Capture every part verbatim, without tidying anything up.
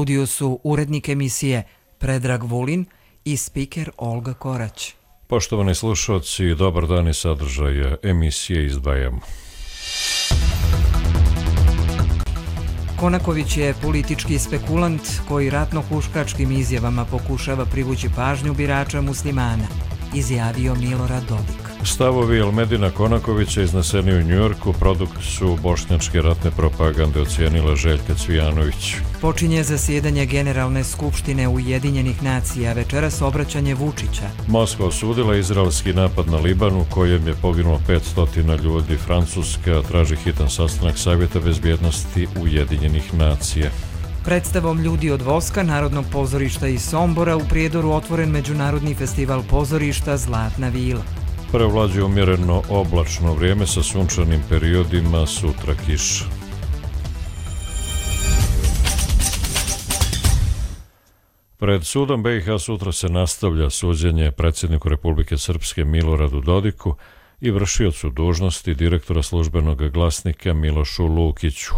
studiju su urednik emisije Predrag Vulin i spiker Olga Korać. Poštovani slušalci, dobar dan i sadržaj emisije izdvajamo. Konaković je politički spekulant koji ratno-huškačkim izjavama pokušava privući pažnju birača muslimana, izjavio Milorad Dodik. Stavovi Elmedina Konakovića izneseni u Njujorku produkt su bošnjačke ratne propagande, ocijenila Željka Cvijanović. Počinje zasjedanje Generalne skupštine Ujedinjenih nacija, večeras obraćanje Vučića. Moskva osudila izraelski napad na Liban u kojem je poginulo petsto ljudi. Francuska traži hitan sastanak Savjeta bezbjednosti Ujedinjenih nacija. Predstavom Ljudi od voska Narodnog pozorišta iz Sombora u Prijedoru otvoren Međunarodni festival pozorišta Zlatna vila. Prevlađuje umjereno oblačno vrijeme sa sunčanim periodima, sutra kiša. Pred sudom B i H sutra se nastavlja suđenje predsjedniku Republike Srpske Miloradu Dodiku i vršiocu dužnosti direktora Službenog glasnika Milošu Lukiću.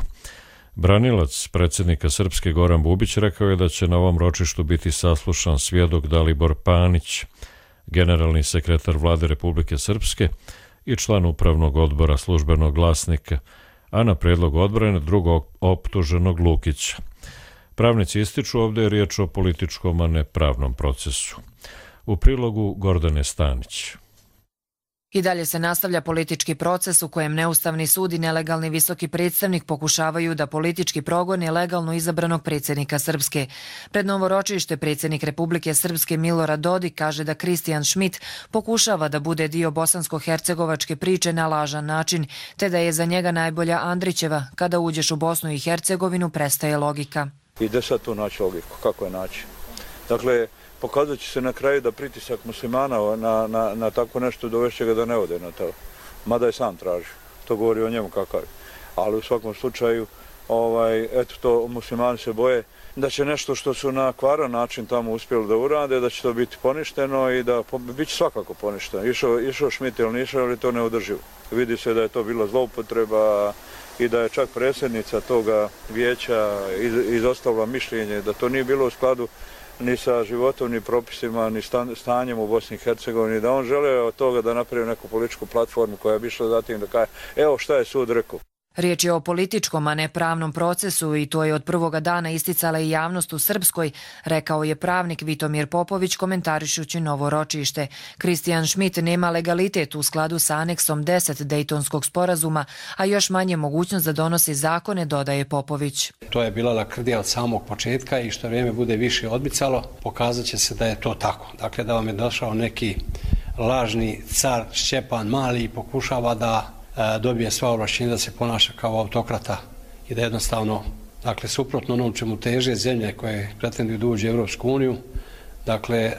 Branilac predsjednika Srpske Goran Bubić rekao je da će na ovom ročištu biti saslušan svjedok Dalibor Panić, generalni sekretar Vlade Republike Srpske i član upravnog odbora Službenog glasnika, a na prijedlog odbrane drugog optuženog Lukića. Pravnici ističu, ovdje je riječ o političkom, a ne pravnom procesu. U prilogu Gordane Stanić. I dalje se nastavlja politički proces u kojem neustavni sud i nelegalni visoki predstavnik pokušavaju da politički progone legalno izabranog predsjednika Srpske. Pred novo ročište predsjednik Republike Srpske Milorad Dodik kaže da Kristijan Šmit pokušava da bude dio bosansko-hercegovačke priče na lažan način, te da je za njega najbolja Andrićeva. Kada uđeš u Bosnu i Hercegovinu, prestaje logika. I gdje sad tu naći logiku? Kako je naći? Dakle, pokazat će se na kraju da pritisak muslimana na, na, na tako nešto dovešće ga da ne ode na to. Mada je sam traži. To govori o njemu kakav je. Ali u svakom slučaju, ovaj, eto to muslimani se boje da će nešto što su na kvaran način tamo uspjeli da urade, da će to biti poništeno i da bit će svakako poništeno. Išao, išao Šmit ili nišao, ali to ne održivo. Vidi se da je to bila zloupotreba i da je čak predsjednica toga vijeća izostavila mišljenje da to nije bilo u skladu ni sa životom, ni propisima, ni stanjem u Bosni i Hercegovini, da on žele od toga da napravi neku političku platformu koja bi išla zatim da kaže evo šta je sud rekao. Riječ je o političkom, a ne pravnom procesu i to je od prvoga dana isticala i javnost u Srpskoj, rekao je pravnik Vitomir Popović komentarišući novo ročište. Kristijan Šmit nema legalitet u skladu sa aneksom deset Dejtonskog sporazuma, a još manje mogućnost da donosi zakone, dodaje Popović. To je bila lakrdija od samog početka i što vrijeme bude više odmicalo, pokazat će se da je to tako. Dakle, da vam je došao neki lažni car Šćepan Mali i pokušava da dobije sva ovlašćenja da se ponaša kao autokrata i da jednostavno, dakle, suprotno onom čemu teže zemlje koje pretenduju da uđe u Europsku uniju, dakle,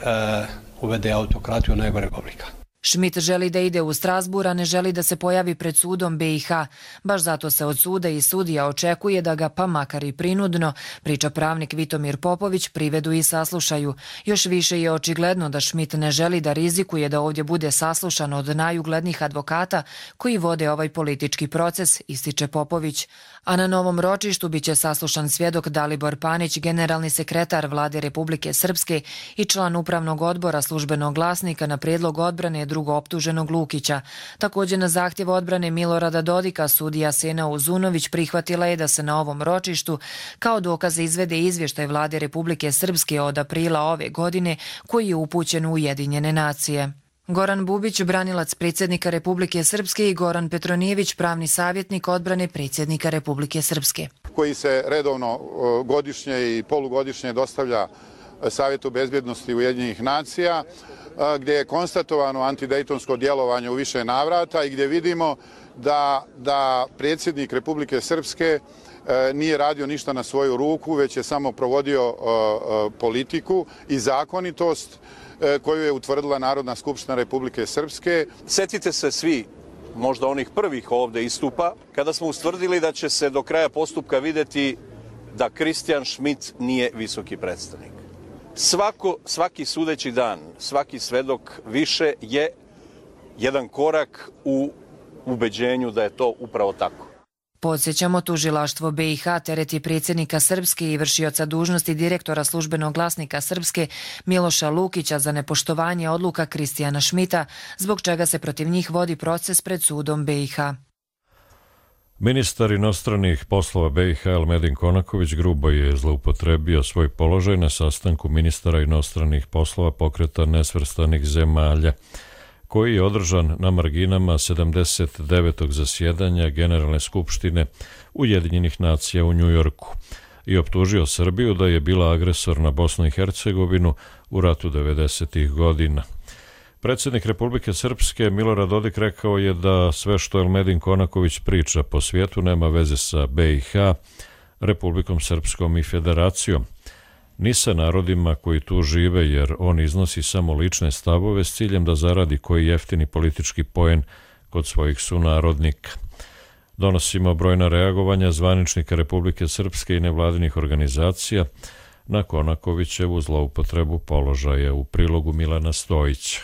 uvede autokratiju najgoreg oblika. Šmit želi da ide u Strasbourg, a ne želi da se pojavi pred sudom B i H. Baš zato se od suda i sudija očekuje da ga, pa makar i prinudno, priča pravnik Vitomir Popović, privedu i saslušaju. Još više je očigledno da Šmit ne želi da rizikuje da ovdje bude saslušan od najuglednijih advokata koji vode ovaj politički proces, ističe Popović. A na novom ročištu biće saslušan svjedok Dalibor Panić, generalni sekretar Vlade Republike Srpske i član upravnog odbora Službenog glasnika na prijedlog odbrane drugo optuženog Lukića. Također na zahtjev odbrane Milorada Dodika sudija Sena Uzunović prihvatila je da se na ovom ročištu kao dokaze izvede izvještaj Vlade Republike Srpske od aprila ove godine koji je upućen u Ujedinjene nacije. Goran Bubić, branilac predsjednika Republike Srpske i Goran Petronijević, pravni savjetnik odbrane predsjednika Republike Srpske. Koji se redovno godišnje i polugodišnje dostavlja Savjetu bezbjednosti Ujedinjenih nacija, gdje je konstatovano antidejtonsko djelovanje u više navrata i gdje vidimo da, da predsjednik Republike Srpske nije radio ništa na svoju ruku, već je samo provodio politiku i zakonitost koju je utvrdila Narodna skupština Republike Srpske. Sjetite se svi, možda onih prvih ovdje istupa, kada smo ustvrdili da će se do kraja postupka vidjeti da Kristijan Šmit nije visoki predstavnik. Svako, svaki sudeći dan, svaki svedok više je jedan korak u ubeđenju da je to upravo tako. Podsjećamo, tužilaštvo B i H tereti predsjednika Srpske i vršioca dužnosti direktora službenog glasnika Srpske Miloša Lukića za nepoštovanje odluka Kristijana Šmita, zbog čega se protiv njih vodi proces pred sudom B i H. Ministar inostranih poslova B i H Elmedin Konaković grubo je zloupotrebio svoj položaj na sastanku ministara inostranih poslova Pokreta nesvrstanih zemalja, koji je održan na marginama sedamdeset devetog zasjedanja Generalne skupštine Ujedinjenih nacija u Njujorku i optužio Srbiju da je bila agresor na Bosnu i Hercegovinu u ratu devedesetih godina. Predsjednik Republike Srpske Milorad Dodik rekao je da sve što Elmedin Konaković priča po svijetu nema veze sa B i H, Republikom Srpskom i Federacijom, ni sa narodima koji tu žive, jer on iznosi samo lične stavove s ciljem da zaradi koji jeftini politički poen kod svojih sunarodnika. Donosimo brojna reagovanja zvaničnika Republike Srpske i nevladinih organizacija na Konakovićevu zloupotrebu položaja, u prilogu Milana Stojića.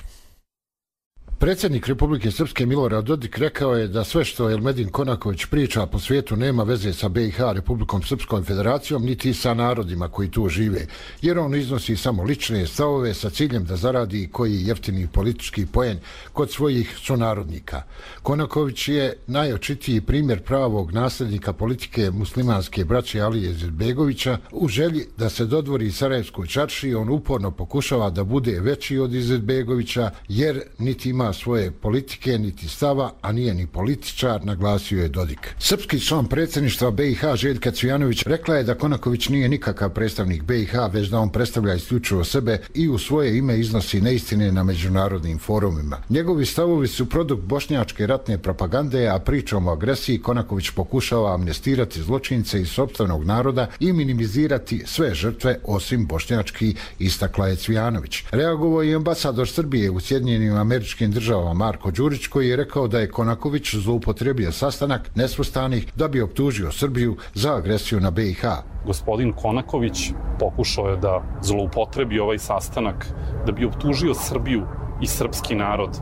Predsjednik Republike Srpske Milorad Dodik rekao je da sve što Elmedin Konaković priča po svijetu nema veze sa B i H, Republikom Srpskom Federacijom, niti sa narodima koji tu žive, jer on iznosi samo lične stavove sa ciljem da zaradi koji jeftini politički poen kod svojih sunarodnika. Konaković je najočitiji primjer pravog nasljednika politike muslimanske braće Alije Izetbegovića. U želji da se dodvori Sarajevskoj čaršiji, on uporno pokušava da bude veći od Izetbegovića, jer niti ima svoje politike, niti stava, a nije ni političar, naglasio je Dodik. Srpski član predsjedništva B i H Željka Cvijanović rekla je da Konaković nije nikakav predstavnik B i H, već da on predstavlja isključivo sebe i u svoje ime iznosi neistine na međunarodnim forumima. Njegovi stavovi su produkt bošnjačke ratne propagande, a pričom o agresiji Konaković pokušava amnestirati zločince iz sopstvenog naroda i minimizirati sve žrtve osim bošnjački, istakla je Cvijanović. Reagovao je ambasador Srbije u Sjedinjenim Američkim Država Marko Đurić, koji je rekao da je Konaković zloupotrebio sastanak nesvrstanih da bi optužio Srbiju za agresiju na B i H. Gospodin Konaković pokušao je da zloupotrebi ovaj sastanak da bi optužio Srbiju i srpski narod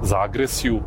za agresiju,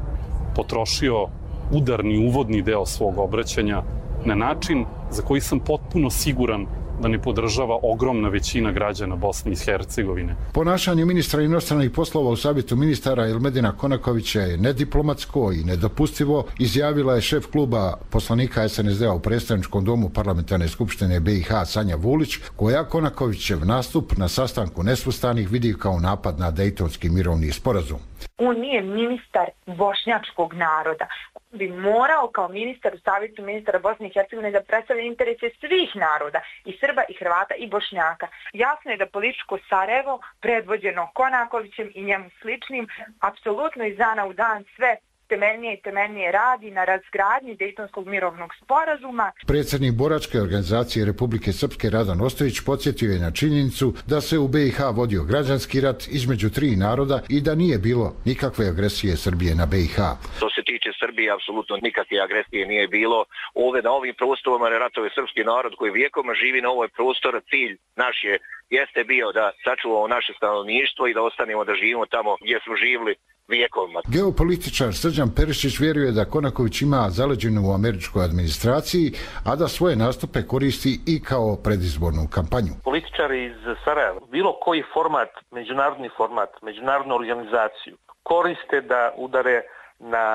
potrošio udarni uvodni deo svog obraćanja na način za koji sam potpuno siguran da ne podržava ogromna većina građana Bosne i Hercegovine. Ponašanje ministra inostranih poslova u savjetu ministara Elmedina Konakovića je nediplomatsko i nedopustivo, izjavila je šef kluba poslanika S N S D-a u predstavničkom domu Parlamentarne skupštine B i H Sanja Vulić, koja Konakovićev nastup na sastanku nesvrstanih vidi kao napad na Dejtonski mirovni sporazum. On nije ministar bošnjačkog naroda. Bi morao kao ministar u savjetu ministara Bosne i Hercegovine da predstavlja interese svih naroda, i Srba, i Hrvata, i Bošnjaka. Jasno je da političko Sarajevo, predvođeno Konakovićem i njemu sličnim, apsolutno iz dana u dan sve temeljnije i temeljnije radi na razgradnji Dejtonskog mirovnog sporazuma. Predsjednik boračke organizacije Republike Srpske Radan Ostojić podsjetio je na činjenicu da se u B i H vodio građanski rat između tri naroda i da nije bilo nikakve agresije Srbije na B i H. Što se tiče Srbije, apsolutno nikakve agresije nije bilo. Ovdje na ovim prostorima ratuje srpski narod koji vijekoma živi na ovoj prostoru. Cilj naš je, jeste bio da sačuvamo naše stanovništvo i da ostanemo da živimo tamo gdje smo živjeli vijekovima. Geopolitičar Srđan Perišić vjeruje da Konaković ima zaleđenu u američkoj administraciji, a da svoje nastupe koristi i kao predizbornu kampanju. Političari iz Sarajeva, bilo koji format, međunarodni format, međunarodnu organizaciju, koriste da udare na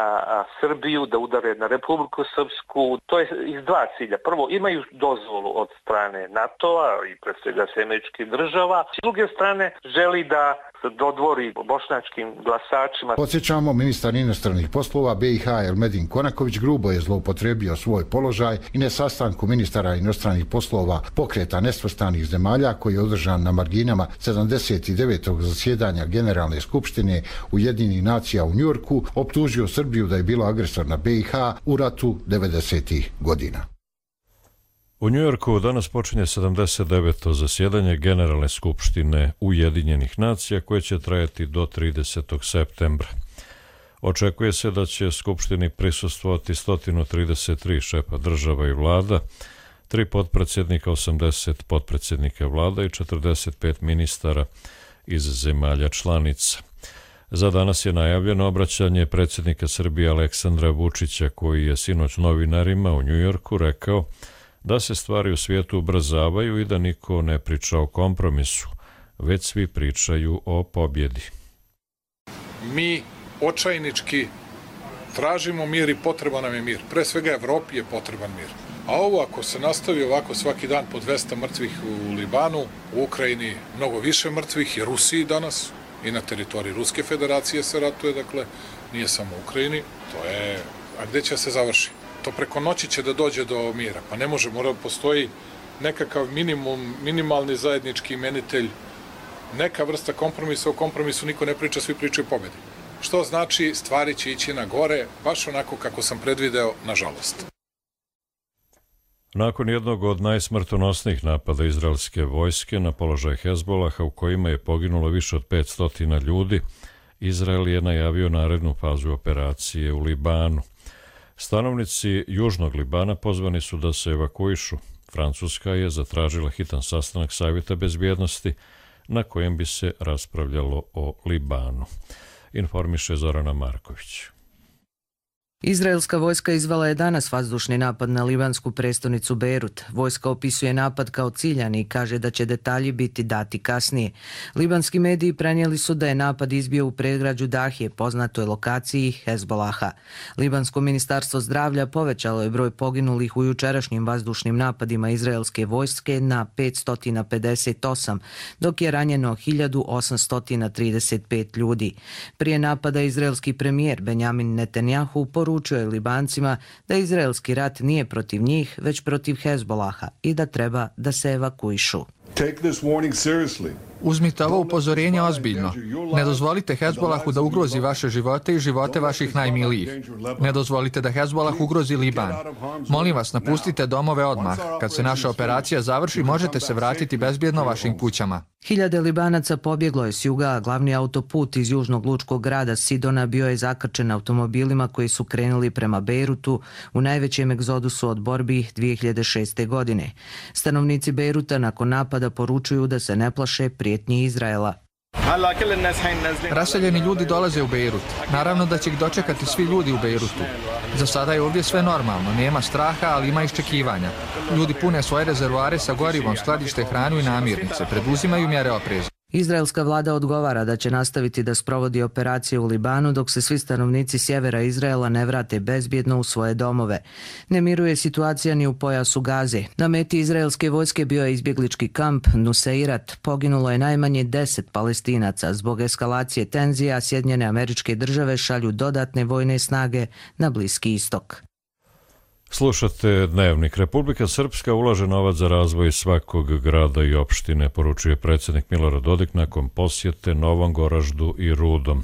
Srbiju, da udare na Republiku Srpsku. To je iz dva cilja. Prvo, imaju dozvolu od strane NATO-a i pre svega američkih država. S druge strane, želi da se dodvori bošnjačkim glasačima. Podsjećamo, ministar inostranih poslova B i H Elmedin Konaković grubo je zloupotrebio svoj položaj i na sastanku ministara inostranih poslova Pokreta nesvrstanih zemalja, koji je održan na marginama sedamdeset devetog zasjedanja Generalne skupštine Ujedinjenih nacija u Njujorku, optužio Srbiju da je bila agresor na B i H u ratu devedesetih godina. U Njujorku danas počinje sedamdeset deveto zasjedanje Generalne skupštine Ujedinjenih nacija, koje će trajati do tridesetog septembra. Očekuje se da će skupštini prisustvovati sto trideset tri šefa država i vlada, tri potpredsjednika, osamdeset potpredsjednika vlada i četrdeset pet ministara iz zemalja članica. Za danas je najavljeno obraćanje predsjednika Srbije Aleksandra Vučića, koji je sinoć novinarima u Njujorku rekao da se stvari u svijetu ubrzavaju i da niko ne priča o kompromisu, već svi pričaju o pobjedi. Mi očajnički tražimo mir i potreban nam je mir. Pre svega Evropi je potreban mir. A ovo ako se nastavi ovako svaki dan po dvesta mrtvih u Libanu, u Ukrajini mnogo više mrtvih i Rusiji danas, i na teritoriji Ruske federacije se ratuje, dakle, nije samo u Ukrajini, to je, a gde će se završi? To preko noći će da dođe do mira, pa ne može, mora postoji nekakav minimum, minimalni zajednički imenitelj, neka vrsta kompromisa, o kompromisu niko ne priča, svi pričaju o pobedi. Što znači stvari će ići na gore, baš onako kako sam predvideo, nažalost. Nakon jednog od najsmrtonosnijih napada izraelske vojske na položaj Hezbolaha u kojima je poginulo više od petsto ljudi, Izrael je najavio narednu fazu operacije u Libanu. Stanovnici južnog Libana pozvani su da se evakuišu. Francuska je zatražila hitan sastanak Savjeta bezbjednosti na kojem bi se raspravljalo o Libanu. Informiše Zorana Marković. Izraelska vojska izvela je danas vazdušni napad na libansku prestonicu Bejrut. Vojska opisuje napad kao ciljani i kaže da će detalji biti dati kasnije. Libanski mediji prenijeli su da je napad izbio u predgrađu Dahije, poznatoj lokaciji Hezbolaha. Libansko ministarstvo zdravlja povećalo je broj poginulih u jučerašnjim vazdušnim napadima izraelske vojske na petsto pedeset osam, dok je ranjeno hiljadu osamsto trideset pet ljudi. Prije napada izraelski premijer Benjamin Netanjahu poručio je Libancima da izraelski rat nije protiv njih, već protiv Hezbolaha i da treba da se evakuišu. Uzmite ovo upozorenje ozbiljno. Ne dozvolite Hezbolahu da ugrozi vaše živote i živote vaših najmilijih. Ne dozvolite da Hezbolah ugrozi Liban. Molim vas, napustite domove odmah. Kad se naša operacija završi, možete se vratiti bezbjedno vašim kućama. Hiljade Libanaca pobjeglo je s juga, a glavni autoput iz južnog lučkog grada Sidona bio je zakrčen automobilima koji su krenuli prema Bejrutu u najvećem egzodusu od borbi dvije hiljade šeste. godine. Stanovnici Bejruta nakon napada poručuju da se ne plaše prijetnji Izraela. Raseljeni ljudi dolaze u Bejrut. Naravno da će ih dočekati svi ljudi u Bejrutu. Za sada je ovdje sve normalno, nema straha, ali ima iščekivanja. Ljudi pune svoje rezervoare sa gorivom, skladište hranu i namirnice, preduzimaju mjere opreza. Izraelska vlada odgovara da će nastaviti da sprovodi operacije u Libanu dok se svi stanovnici sjevera Izraela ne vrate bezbjedno u svoje domove. Ne miruje situacija ni u pojasu Gaze. Na meti izraelske vojske bio je izbjeglički kamp Nuseirat. Poginulo je najmanje deset Palestinaca. Zbog eskalacije tenzija Sjedinjene Američke Države šalju dodatne vojne snage na Bliski istok. Slušate Dnevnik. Republika Srpska ulaže novac za razvoj svakog grada i opštine, poručuje predsjednik Milorad Dodik nakon posjete Novom Goraždu i Rudom.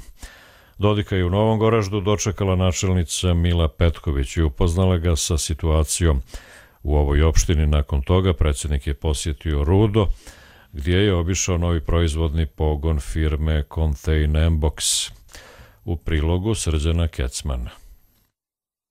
Dodika je u Novom Goraždu dočekala načelnica Mila Petković i upoznala ga sa situacijom u ovoj opštini. Nakon toga predsjednik je posjetio Rudo, gdje je obišao novi proizvodni pogon firme Containbox. U prilogu Srđana Kecmana.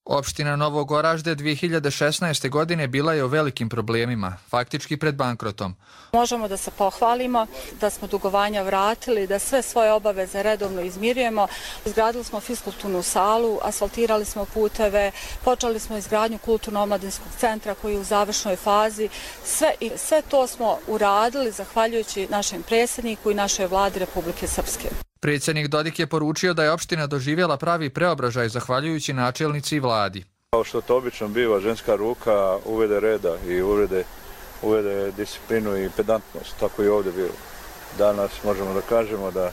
Opština Novog Goražde dvije hiljade šesnaeste. godine bila je u velikim problemima, faktički pred bankrotom. Možemo da se pohvalimo da smo dugovanja vratili, da sve svoje obaveze redovno izmirujemo. Izgradili smo fiskulturnu salu, asfaltirali smo puteve, počeli smo izgradnju kulturno-omladinskog centra koji je u završnoj fazi. Sve, i sve to smo uradili zahvaljujući našem predsjedniku i našoj vladi Republike Srpske. Predsjednik Dodik je poručio da je opština doživjela pravi preobražaj zahvaljujući načelnici i vladi. Kao što to obično biva, ženska ruka uvede reda i uvede, uvede disciplinu i pedantnost, tako i ovdje bilo. Danas možemo da kažemo da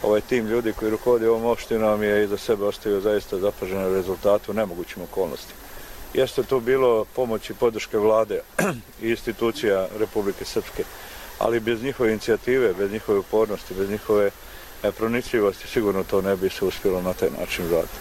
ovaj tim ljudi koji rukovodi ovom opštinom je iza sebe ostavio zaista zapažene rezultate u nemogućim okolnostima. Jeste to bilo pomoć i podrške vlade i institucija Republike Srpske, ali bez njihove inicijative, bez njihove upornosti, bez njihove pronicljivosti sigurno to ne bi se uspjelo na taj način raditi.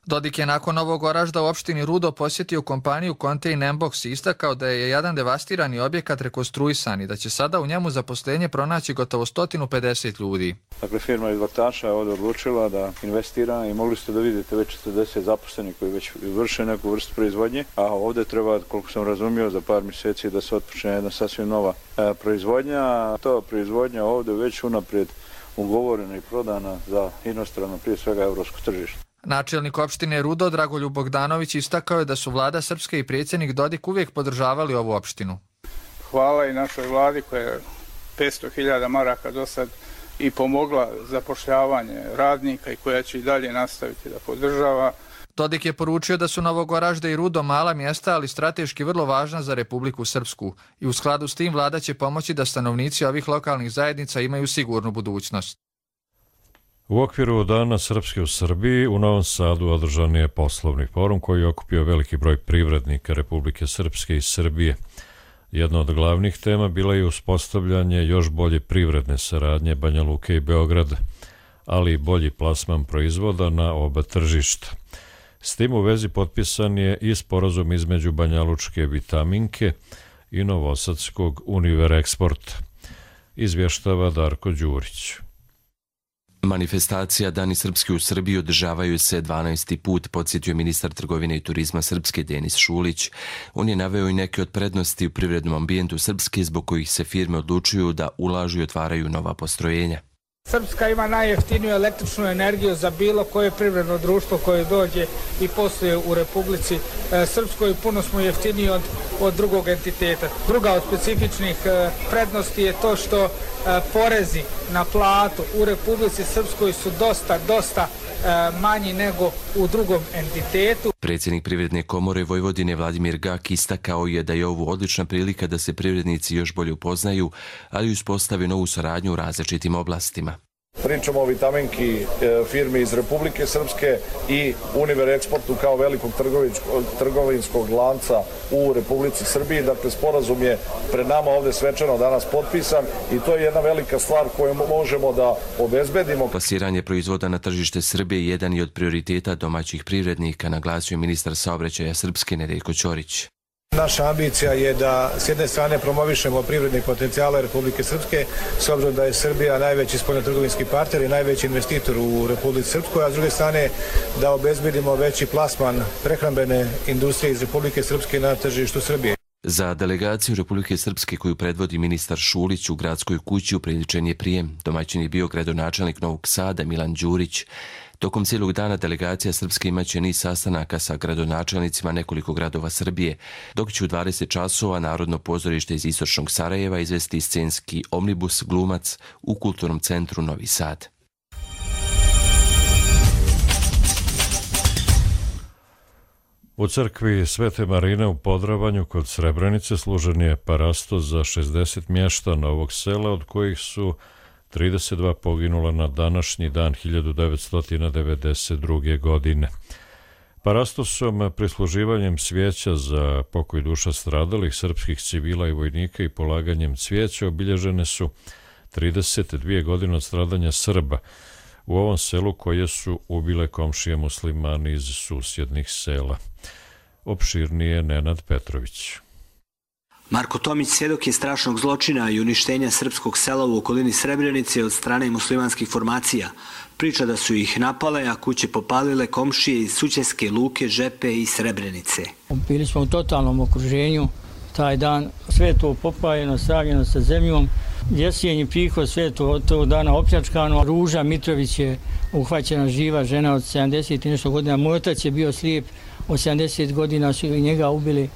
Dodik je nakon ovog Oražda u opštini Rudo posjetio kompaniju Contain Box i istakao da je jedan devastirani objekat rekonstruisan i da će sada u njemu zaposlenje pronaći gotovo sto pedeset ljudi. Dakle, firma iz Vaktaša je ovdje odlučila da investira i mogli ste da vidite već četrdeset zaposlenih koji već vrše neku vrstu proizvodnje, a ovdje treba, koliko sam razumio, za par mjeseci da se otpočne jedna sasvim nova e, proizvodnja. Ta proizvodnja ovdje već unaprijed ugovorena i prodana za inostrano, prije svega evropsko tržište. Načelnik opštine Rudo Dragoljub Bogdanović istakao je da su vlada Srpske i predsjednik Dodik uvijek podržavali ovu opštinu. Hvala i našoj vladi koja je petsto hiljada maraka do sad i pomogla zapošljavanje radnika i koja će i dalje nastaviti da podržava. Dodik je poručio da su Novogoražda i Rudo mala mjesta, ali strateški vrlo važna za Republiku Srpsku i u skladu s tim vlada će pomoći da stanovnici ovih lokalnih zajednica imaju sigurnu budućnost. U okviru Dana Srpske u Srbiji u Novom Sadu održan je poslovni forum koji je okupio veliki broj privrednika Republike Srpske i Srbije. Jedna od glavnih tema bila je uspostavljanje još bolje privredne saradnje Banja Luke i Beograda, ali i bolji plasman proizvoda na oba tržišta. S tim u vezi potpisan je i sporazum između Banjalučke Vitaminke i Novosadskog Univereksporta, izvještava Darko Đurić. Manifestacija Dani Srpske u Srbiji održavaju se dvanaesti put, podsjetio ministar trgovine i turizma Srpske Denis Šulić. On je naveo i neke od prednosti u privrednom ambijentu Srpske zbog kojih se firme odlučuju da ulažu i otvaraju nova postrojenja. Srpska ima najjeftiniju električnu energiju za bilo koje privredno društvo koje dođe i posluje u Republici Srpskoj. Puno smo jeftiniji od, od drugog entiteta. Druga od specifičnih prednosti je to što porezi na platu u Republici Srpskoj su dosta, dosta manji nego u drugom entitetu. Predsjednik Privredne komore Vojvodine Vladimir Gak istakao je da je ovo odlična prilika da se privrednici još bolje upoznaju, ali uspostave novu saradnju u različitim oblastima. Pričamo o Vitaminki, firmi iz Republike Srpske i Univereksportu kao velikog trgovinskog lanca u Republici Srbiji. Dakle, sporazum je pred nama ovdje svečano danas potpisan i to je jedna velika stvar koju možemo da obezbedimo. Plasiranje proizvoda na tržište Srbije jedan je od prioriteta domaćih privrednika, naglasio ministar saobraćaja Srpske Nedeljko Ćorić. Naša ambicija je da s jedne strane promovišemo privredne potencijale Republike Srpske, s obzirom da je Srbija najveći spoljnotrgovinski partner i najveći investitor u Republici Srpskoj, a s druge strane da obezbedimo veći plasman prehrambene industrije iz Republike Srpske na tržištu Srbije. Za delegaciju Republike Srpske koju predvodi ministar Šulić u gradskoj kući upriličen je prijem. Domaćin je bio gradonačelnik Novog Sada Milan Đurić. Tokom cijelog dana delegacija Srpske imaće niz sastanaka sa gradonačelnicima nekoliko gradova Srbije, dok će u dvadeset časova Narodno pozorište iz istočnog Sarajeva izvesti scenski omnibus Glumac u Kulturnom centru Novi Sad. U crkvi Svete Marine u Podravanju kod Srebrenice služen je parasto za šezdeset mještana ovog sela, od kojih su trideset dva poginula na današnji dan hiljadu devetsto devedeset druge. godine. Parastosom, prisluživanjem svijeća za pokoj duša stradalih srpskih civila i vojnika i polaganjem cvijeća obilježene su trideset dvije godine od stradanja Srba u ovom selu koje su ubile komšije muslimani iz susjednih sela. Opširnije Nenad Petrović. Marko Tomić svjedok je strašnog zločina i uništenja srpskog sela u okolini Srebrenice od strane muslimanskih formacija. Priča da su ih napale, a kuće popalile komšije iz Sućeske, Luke, Žepe i Srebrenice. Bili smo u totalnom okruženju. Taj dan sve to popajeno, sravljeno sa zemljom. Jesjenji prihod, sve to od tog dana opljačkano. Ruža Mitrović je uhvaćena živa žena od sedamdeset i nešto godina. Moj otac je bio slijep, od sedamdeset godina su i njega ubili.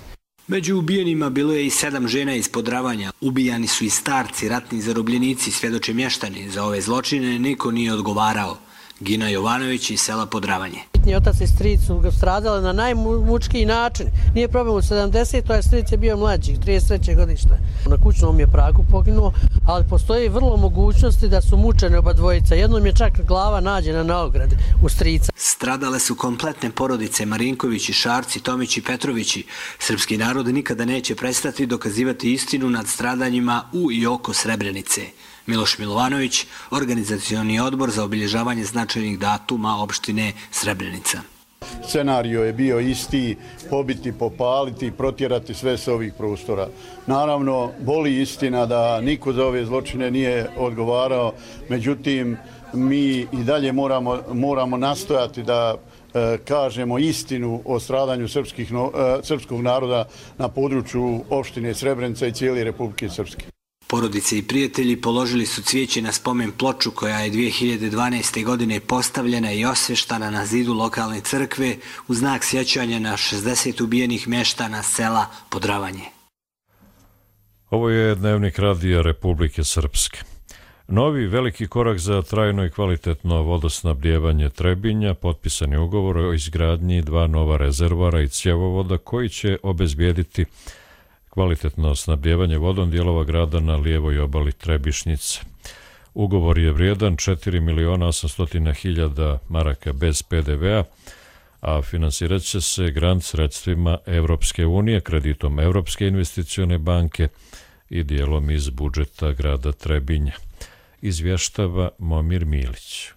Među ubijenima bilo je i sedam žena iz Podravanja. Ubijani su i starci, ratni zarobljenici, svjedoče mještani. Za ove zločine niko nije odgovarao. Gina Jovanović iz sela Podravanje. Otac i stric su ga stradali na najmučkiji način. Nije problem u sedamdesetoj, a stric je bio mlađi, trideset treće godište. Na kućnom je pragu poginuo, ali postoji vrlo mogućnosti da su mučene oba dvojica. Jednom je čak glava nađena na ogradi u strica. Stradale su kompletne porodice Marinkovići, Šarci, Tomići, Petrovići. Srpski narod nikada neće prestati dokazivati istinu nad stradanjima u i oko Srebrenice. Miloš Milovanović, organizacioni odbor za obilježavanje značajnih datuma opštine Srebrenica. scenario je bio isti, pobiti, popaliti, protjerati sve s ovih prostora. Naravno, boli istina da niko za ove zločine nije odgovarao, međutim, mi i dalje moramo, moramo nastojati da e, kažemo istinu o stradanju srpskih, no, e, srpskog naroda na području opštine Srebrenica i cijele Republike Srpske. Porodice i prijatelji položili su cvijeće na spomen ploču koja je dvije hiljade dvanaeste. godine postavljena i osveštana na zidu lokalne crkve u znak sjećanja na šezdeset ubijenih meštana sela Podravanje. Ovo je dnevnik radija Republike Srpske. Novi veliki korak za trajno i kvalitetno vodosnabdijevanje Trebinja, potpisan je ugovor o izgradnji dva nova rezervoara i cjevovoda koji će obezbijediti kvalitetno snabdijevanje vodom dijelova grada na lijevoj obali Trebišnjice. Ugovor je vrijedan četiri miliona osamsto hiljada maraka bez pe de vea, a finansirat će se grant sredstvima Evropske unije, kreditom Evropske investicione banke i dijelom iz budžeta grada Trebinja. Izvještava Momir Milić.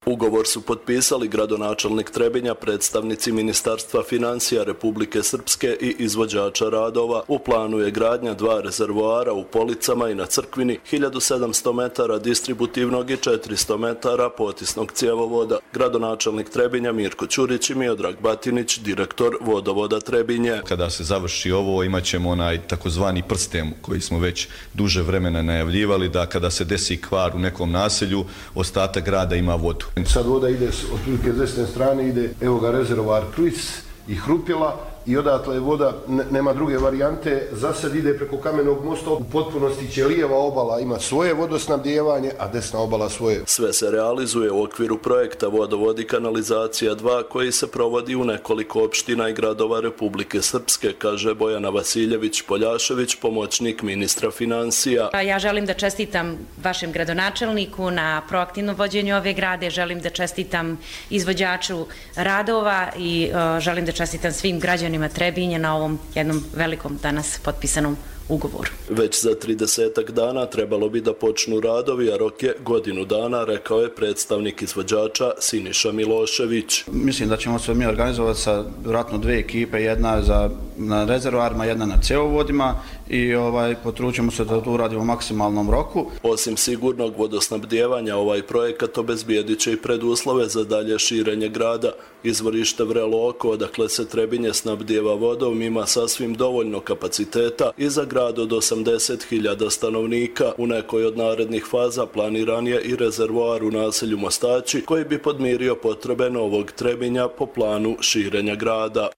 Ugovor su potpisali gradonačelnik Trebinja, predstavnici Ministarstva financija Republike Srpske i izvođača radova. U planu je gradnja dva rezervoara u Policama i na Crkvini, hiljadu sedamsto metara distributivnog i četiristo metara potisnog cjevovoda. Gradonačelnik Trebinja Mirko Ćurić i Miodrag Batinić, direktor vodovoda Trebinje. Kada se završi ovo, imat ćemo onaj takozvani prsten koji smo već duže vremena najavljivali, da kada se desi kvar u nekom naselju, ostatak grada ima vodu. Sad voda ide otprilike s desne strane, ide evo ga rezervoar Kruis i Hrupjela i odatle voda, ne, nema druge varijante, za sad ide preko Kamenog mosta, u potpunosti će lijeva obala ima svoje vodosnabdijevanje, a desna obala svoje. Sve se realizuje u okviru projekta Vodovod i kanalizacija dva koji se provodi u nekoliko opština i gradova Republike Srpske, kaže Bojana Vasiljević-Poljašević, pomoćnik ministra financija. Ja želim da čestitam vašem gradonačelniku na proaktivnom vođenju ove grade, želim da čestitam izvođaču radova i uh, želim da čestitam svim građanima Trebinja na ovom jednom velikom danas potpisanom ugovoru. Već za tridesetak dana trebalo bi da počnu radovi, a rok je godinu dana, rekao je predstavnik izvođača Siniša Milošević. Mislim da ćemo se mi organizovati sa vjerojatno dve ekipe, jedna za, na rezervoarima, jedna na cjevovodima i ovaj, potručimo se da to uradimo u maksimalnom roku. Osim sigurnog vodosnabdijevanja, ovaj projekat obezbijedit će i preduslove za dalje širenje grada. Izvorište Vrelo Oko, odakle se Trebinje snabdijeva vodom, ima sasvim dovoljno kapaciteta i za grad od osamdeset hiljada stanovnika. U nekoj od narednih faza planiran je i rezervoar u naselju Mostači koji bi podmirio potrebe novog Trebinja po planu širenja grada.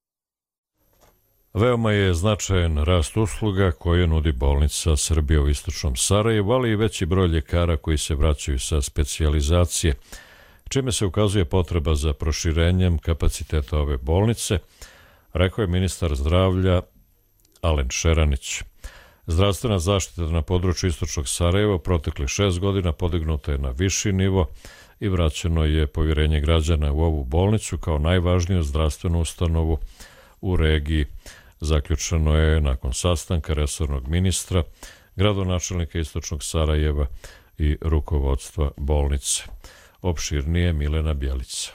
Veoma je značajan rast usluga koje nudi bolnica Srbije u istočnom Sarajevu, ali i veći broj ljekara koji se vraćaju sa specijalizacije, čime se ukazuje potreba za proširenjem kapaciteta ove bolnice, rekao je ministar zdravlja Alen Šeranić. Zdravstvena zaštita na području istočnog Sarajeva proteklih šest godina podignuta je na viši nivo i vraćeno je povjerenje građana u ovu bolnicu kao najvažniju zdravstvenu ustanovu u regiji. Zaključeno je nakon sastanka resornog ministra, gradonačelnika istočnog Sarajeva i rukovodstva bolnice. Opširnije Milena Bjelica.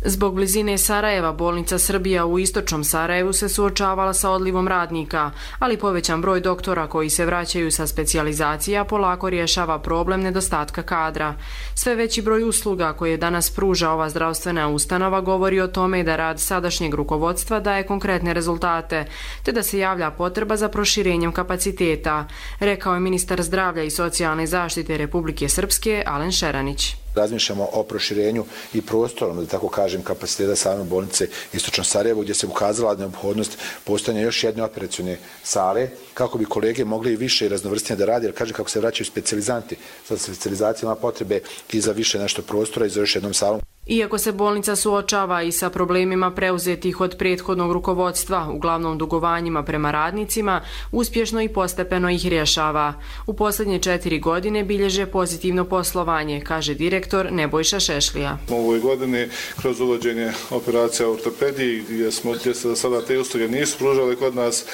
Zbog blizine Sarajeva, bolnica Srbija u istočnom Sarajevu se suočavala sa odlivom radnika, ali povećan broj doktora koji se vraćaju sa specijalizacija polako rješava problem nedostatka kadra. Sve veći broj usluga koje danas pruža ova zdravstvena ustanova govori o tome da rad sadašnjeg rukovodstva daje konkretne rezultate, te da se javlja potreba za proširenjem kapaciteta, rekao je ministar zdravlja i socijalne zaštite Republike Srpske Alen Šeranić. Razmišljamo o proširenju i prostorom, da tako kažem, kapaciteta same bolnice Istočno Sarajevo, gdje se ukazala neophodnost postojanja još jedne operacione sale, kako bi kolege mogli više i raznovrstnije da radi, jer kažem kako se vraćaju specijalizanti. Sa specijalizacijama potrebe i za više nešto prostora i za još jednom salom. Iako se bolnica suočava i sa problemima preuzetih od prethodnog rukovodstva, uglavnom dugovanjima prema radnicima, uspješno i postepeno ih rješava. U posljednje četiri godine bilježe pozitivno poslovanje, kaže direktor Nebojša Šešlija. U ovoj godini kroz uvođenje operacija ortopediji, gdje smo gdje se sada te usluge nisu pružale kod nas,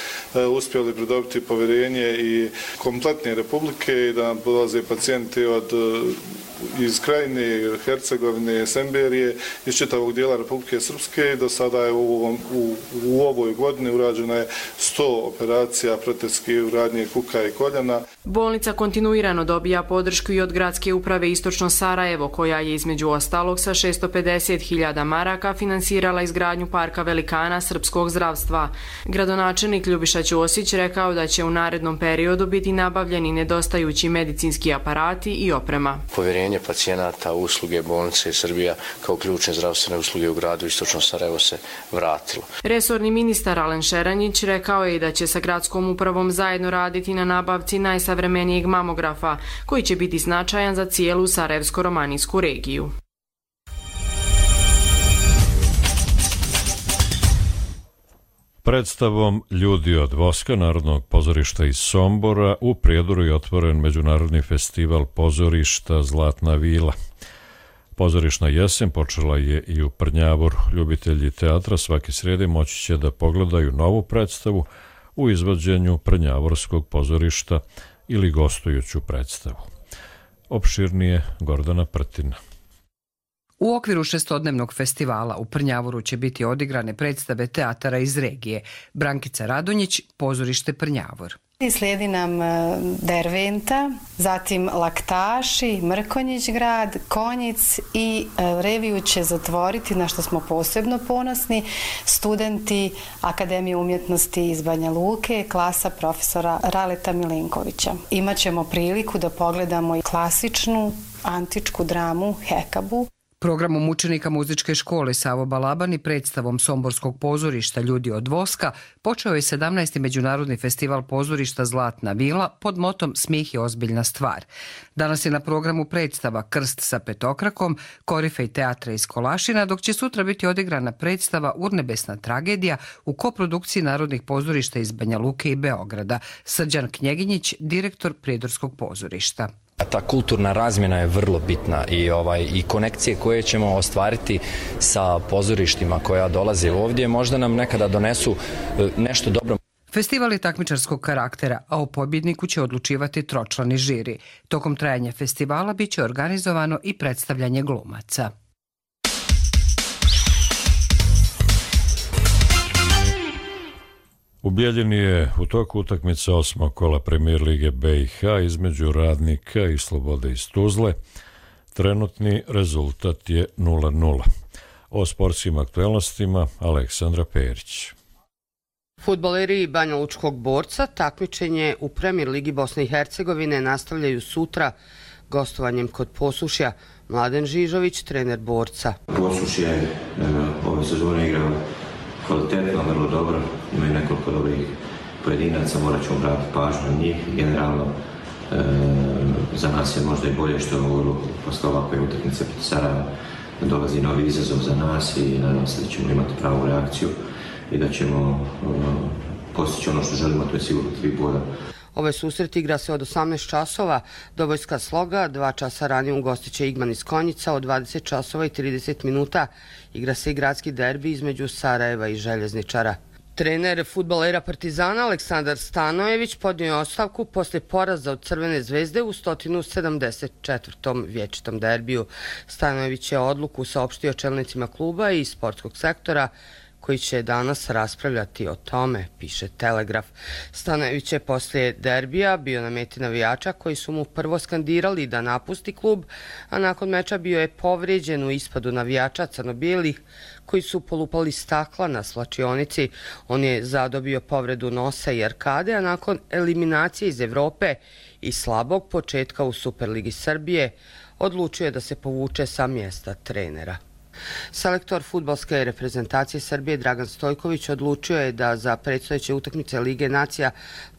uspjeli pridobiti povjerenje i kompletne Republike i da nam dolaze pacijenti od iz Krajine, Hercegovine, Semberije, iz čitavog dijela Republike Srpske. Do sada je u, ovom, u, u ovoj godini urađena je sto operacija protetske uradnje kuka i koljena. Bolnica kontinuirano dobija podršku i od gradske uprave Istočno Sarajevo, koja je između ostalog sa šesto pedeset hiljada maraka finansirala izgradnju parka velikana srpskog zdravstva. Gradonačelnik Ljubiša Ćosić rekao da će u narednom periodu biti nabavljeni nedostajući medicinski aparati i oprema. Povjerenje pacijenata u usluge bolnice Srbija kao ključne zdravstvene usluge u gradu Istočno Sarajevo se vratilo. Resorni ministar Alen Šeranjić rekao je da će sa gradskom upravom zajedno raditi na nabavci najsavremenijeg mamografa, koji će biti značajan za cijelu Sarajevsko-romanijsku regiju. Predstavom Ljudi od voska Narodnog pozorišta iz Sombora u Prijedoru je otvoren Međunarodni festival pozorišta Zlatna vila. Pozorišna jesen počela je i u Prnjavoru. Ljubitelji teatra svake srijede moći će da pogledaju novu predstavu u izvođenju Prnjavorskog pozorišta ili gostujuću predstavu. Opširnije Gordana Prtina. U okviru šestodnevnog festivala u Prnjavoru će biti odigrane predstave teatara iz regije. Brankica Radonjić, pozorište Prnjavor. Slijedi nam Derventa, zatim Laktaši, Mrkonjić grad, Konjic i reviju će zatvoriti, na što smo posebno ponosni, studenti Akademije umjetnosti iz Banja Luke, klasa profesora Raleta Milenkovića. Imaćemo priliku da pogledamo i klasičnu antičku dramu Hekabu. Programom učenika muzičke škole Savo Balaban i predstavom Somborskog pozorišta Ljudi od voska počeo je sedamnaesti Međunarodni festival pozorišta Zlatna vila pod motom Smijeh je ozbiljna stvar. Danas je na programu predstava Krst sa petokrakom, korifej teatra iz Kolašina, dok će sutra biti odigrana predstava Urnebesna tragedija u koprodukciji Narodnih pozorišta iz Banja Luke i Beograda. Srđan Knjeginjić, direktor Prijedorskog pozorišta. Ta kulturna razmjena je vrlo bitna i ovaj i konekcije koje ćemo ostvariti sa pozorištima koja dolaze ovdje možda nam nekada donesu nešto dobro. Festival je takmičarskog karaktera, a o pobjedniku će odlučivati tročlani žiri. Tokom trajanja festivala biće organizovano i predstavljanje glumaca. U Bijeljini je u toku utakmice osmog kola Premijer lige B i H između Radnika i Slobode iz Tuzle. Trenutni rezultat je nula nula. O sportskim aktuelnostima Aleksandra Perić. Fudbaleri Banja Lučkog Borca takmičenje u Premijer ligi Bosne i Hercegovine nastavljaju sutra gostovanjem kod Posušja. Mladen Žižović, trener Borca. Posušje je ove sezone igrao kvalitetno, vrlo dobro, imaju nekoliko dobrih pojedinaca, morat ćemo obratiti pažnju na njih. Generalno, e, za nas je možda i bolje što mogu posle ovakve utakmice protiv Sarajeva dolazi novi izazov za nas i nadam se da ćemo imati pravu reakciju i da ćemo e, postići ono što želimo, to je sigurno tri boda. Ove susret igra se od osamnaest časova, Dobojska Sloga, dva časa ranije ugostit će Igman iz Konjica, od dvadeset časova i trideset minuta igra se i gradski derbi između Sarajeva i Željezničara. Trener fudbalera Partizana Aleksandar Stanojević podnio je ostavku posle poraza od Crvene zvezde u sto sedamdeset četvrtom vječitom derbiju. Stanojević je odluku saopštio čelnicima kluba i sportskog sektora, koji će danas raspravljati o tome, piše Telegraf. Stanojević je poslije derbija bio na meti navijača koji su mu prvo skandirali da napusti klub, a nakon meča bio je povrijeđen u ispadu navijača crno-bijelih koji su polupali stakla na slačionici. On je zadobio povredu nosa i arkade, a nakon eliminacije iz Evrope i slabog početka u Superligi Srbije odlučio je da se povuče sa mjesta trenera. Selektor fudbalske reprezentacije Srbije Dragan Stojković odlučio je da za predstojeće utakmice Lige nacija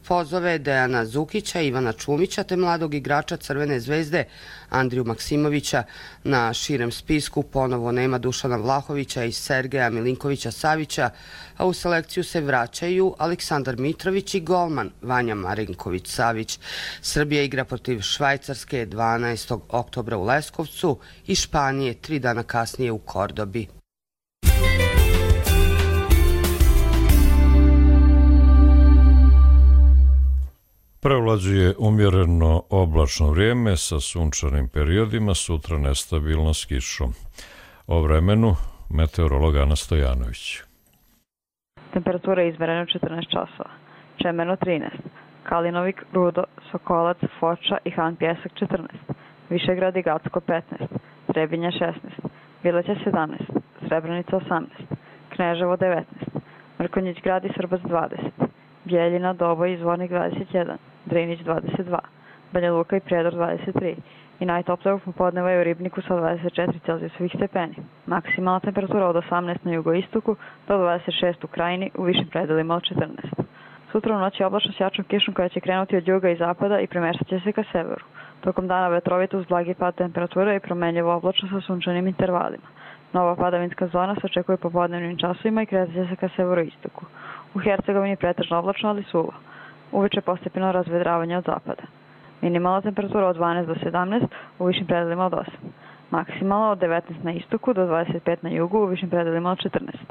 pozove Dejana Zukića, Ivana Čumića te mladog igrača Crvene zvezde Andriju Maksimovića. Na širem spisku ponovo nema Dušana Vlahovića i Sergeja Milinkovića Savića, a u selekciju se vraćaju Aleksandar Mitrović i golman Vanja Marinković-Savić. Srbija igra protiv Švajcarske dvanaestog oktobra u Leskovcu i Španije tri dana kasnije u Kordobi. Prevlađuje umjereno oblačno vrijeme sa sunčanim periodima, sutra nestabilno s kišom. O vremenu meteorolog Ana Stojanović. Temperatura je izmerena četrnaest časova. Čemerno trinaest. Kalinovik, Rudo, Sokolac, Foča i Han Pjesak četrnaest. Višegrad i Gacko petnaest. Trebinja šesnaest. Bileća sedamnaest. Srebrenica osamnaest. Kneževo devetnaest. Mrkonjić grad i Srbac dvadeset. Bjeljina, Doboj i Zvornik dvadeset jedan. Drinić dvadeset dva. Banja Luka i Prijedor dvadeset tri. I najtoplije u popodneva je u Ribniku sa dvadeset četiri Celzijusovih stepeni. Maksimalna temperatura od osamnaest na jugoistoku do dvadeset šest u Krajini, u višim predelima od četrnaest. Sutra u noći je oblačno s jačom kišom koja će krenuti od juga i zapada i premeštat će se ka severu. Tokom dana vetrovito uz blagi pad temperature i promenljivo oblačno sa sunčanim intervalima. Nova padavinska zona se očekuje u popodnevnim časovima i kretat će se ka severoistoku. U Hercegovini pretežno oblačno, ali suvo. Uveče postepeno razvedravanje od zapada. Minimalna temperatura od dvanaest do sedamnaest, u višim predelima od osam. Maksimalno od devetnaest na istoku do dvadeset pet na jugu, u višim predelima od četrnaest.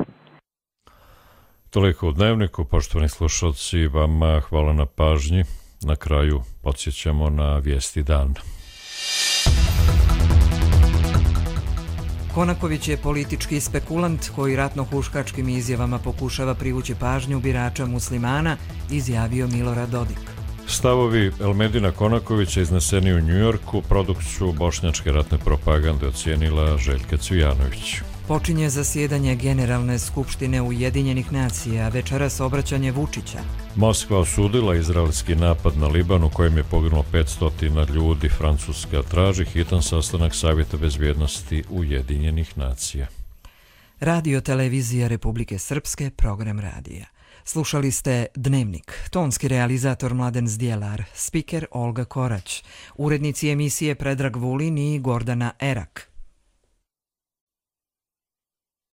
Toliko u Dnevniku, poštovani slušalci, vama hvala na pažnji. Na kraju podsjećamo na vijesti dana. Konaković je politički spekulant koji ratno-huškačkim izjavama pokušava privući pažnju birača muslimana, izjavio Milorad Dodik. Stavovi Elmedina Konakovića izneseni u Njujorku produkciju bošnjačke ratne propagande ocijenila Željka Cvijanović. Počinje zasjedanje Generalne skupštine Ujedinjenih nacija, večeras obraćanje Vučića. Moskva osudila izraelski napad na Liban u kojem je poginulo petsto ljudi. Francuska traži hitan sastanak Savjeta bezbjednosti Ujedinjenih nacija. Radio televizija Republike Srpske, program radija. Slušali ste Dnevnik, tonski realizator Mladen Zdjelar, spiker Olga Korać, urednici emisije Predrag Vulin i Gordana Erak.